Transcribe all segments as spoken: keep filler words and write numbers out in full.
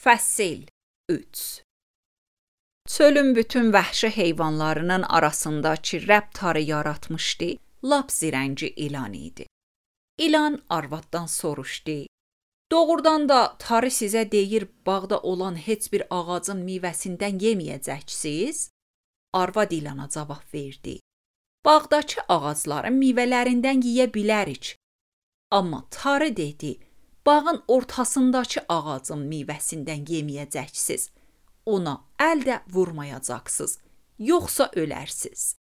Fəsil üç. Çölün bütün vəhşi heyvanlarının arasındakı Rəbb tarı yaratmışdı, lap zirənci ilan idi. İlan arvaddan soruşdu: "Doğrudan da tarı sizə deyir, bağda olan heç bir ağacın meyvəsindən yeməyəcəksiniz?" Arvad ilana cavab verdi: "Bağdakı ağacların meyvələrindən yeyə bilərik." Amma tarı dedi: "Bağın ortasındakı ağacın meyvəsindən yeməyəcəksiniz. Ona əl də vurmayacaqsınız, yoxsa ölərsiz."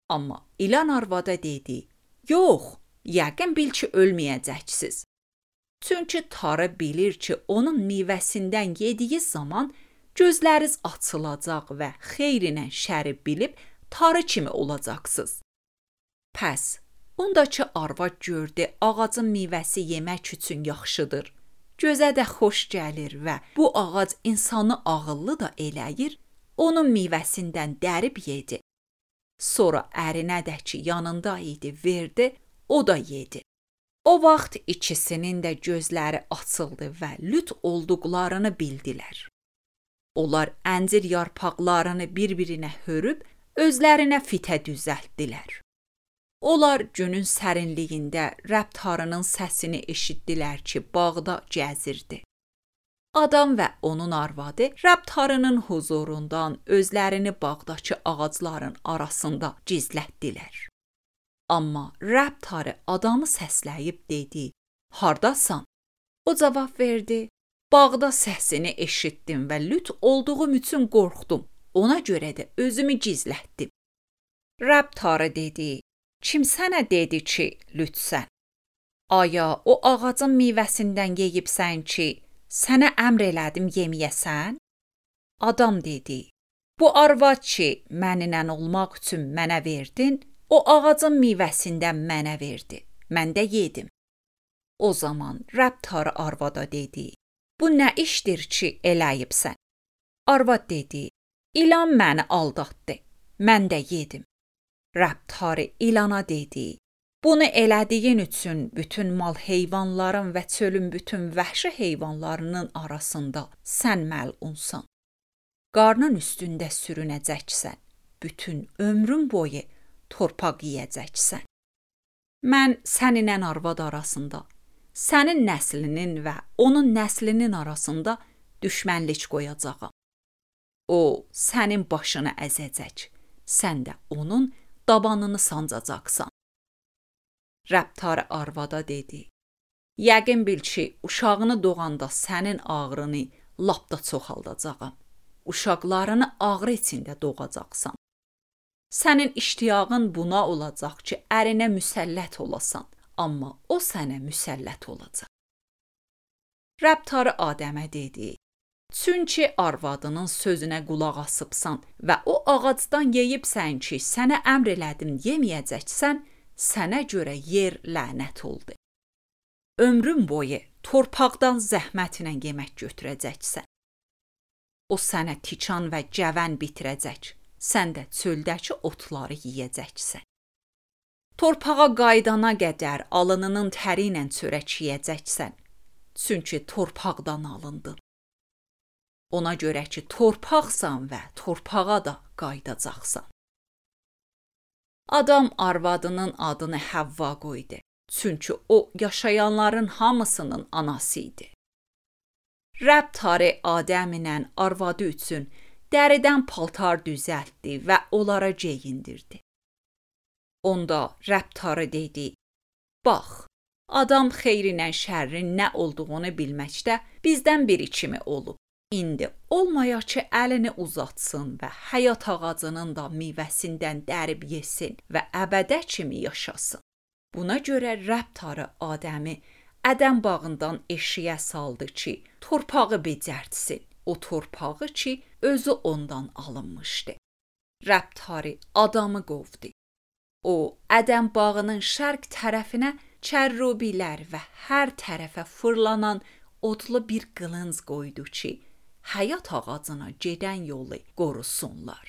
Amma ilan arvada dedi: "Yox, yəqin bil ki, ölməyəcəksiniz." Çünki tarı bilir ki, onun meyvəsindən yediyi zaman gözləriniz açılacaq və xeyrinə şəri bilib tarı kimi olacaqsınız. Pəs, ondakı arvad gördü ağacın meyvəsi yemək üçün yaxşıdır, gözə də xoş gəlir və bu ağac insanı ağıllı da eləyir, onun meyvəsindən dərib yedi. Sonra ərinə də ki yanında idi verdi, o da yedi. O vaxt ikisinin də gözləri açıldı və lüt olduqlarını bildilər. Onlar əncir yarpaqlarını bir-birinə hörüb, özlərinə fitə düzəltdilər. Onlar günün sərinliyində Rəbb tarının səsini eşitdilər ki, bağda gəzirdi. Adam və onun arvadı Rəbb tarının huzurundan özlərini bağdakı ağacların arasında gizlətdilər. Amma Rəbb tarı adamı səsləyib dedi: "Hardasan?" O cavab verdi: "Bağda səsini eşitdim və lüt olduğum üçün qorxdum. Ona görə də özümü gizlətdim." Rəbb tarı dedi: "Kim sənə dedi ki, lütsən? Aya o ağacın meyvəsindən yeyibsən ki, sənə əmr elədim yeməyəsən?" Adam dedi: "Bu arvad ki, mənimlə olmaq üçün mənə verdin, o ağacın meyvəsindən mənə verdi. Mən də yedim." O zaman Rəbb tarı arvada dedi: "Bu nə işdir ki, eləyibsən?" Arvad dedi: "İlan məni aldatdı. Mən də yedim." Rəbb tarı ilana dedi: "Bunu elədiyin üçün bütün mal heyvanların və çölün bütün vəhşi heyvanlarının arasında sən məlunsan. Qarnın üstündə sürünəcəksən. Bütün ömrün boyu torpaq yeyəcəksən. Mən səninlə arvad arasında, sənin nəslinin və onun nəslinin arasında düşmənlik qoyacağam. O sənin başını əzəcək, sən də onun dabanını sancacaqsan." Rəbb tarı arvada dedi: "Yəqin bil ki, uşağını doğanda sənin ağrını lap da çoxaldacağam. Uşaqlarını ağrı içində doğacaqsan. Sənin iştiyağın buna olacaq ki, ərinə müsəllət olasan, amma o sənə müsəllət olacaq." Rəbb tarı Adəmə dedi: "Çünki arvadının sözünə qulaq asıbsan və o ağacdan yeyibsən ki, sənə əmr elədim yeməyəcəksən, sənə görə yer lənət oldu. Ömrün boyu torpaqdan zəhmətlə yemək götürəcəksən. O sənə tikan və cəvən bitirəcək, sən də çöldəki otları yeyəcəksən. Torpağa qaydana qədər alınının təri ilə çörək yeyəcəksən, çünki torpaqdan alındın. Ona görə ki, torpaqsan və torpağa da qaydacaqsan." Adam arvadının adını Həvva qoydu, çünki o yaşayanların hamısının anası idi. Rəbb tarı Adəm ilə arvadı üçün dəridən paltar düzəltdi və onlara geyindirdi. Onda Rəbb tarı dedi: "Bax, adam xeyrinə şərrin nə olduğunu bilməkdə bizdən biri kimi olub. İndi olmaya ki, əlini uzatsın və həyat ağacının da meyvəsindən dərib yesin və əbədə kimi yaşasın." Buna görə Rəbb tarı Adəmi Ədəm bağından eşiyə saldı ki, torpağı becərtsin, o torpağı ki, özü ondan alınmışdı. Rəbb tarı adamı qovdu. O, Ədəm bağının şərq tərəfinə kərrubilər və hər tərəfə fırlanan odlu bir qılınc qoydu ki, həyat ağacına gedən yolu qorusunlar.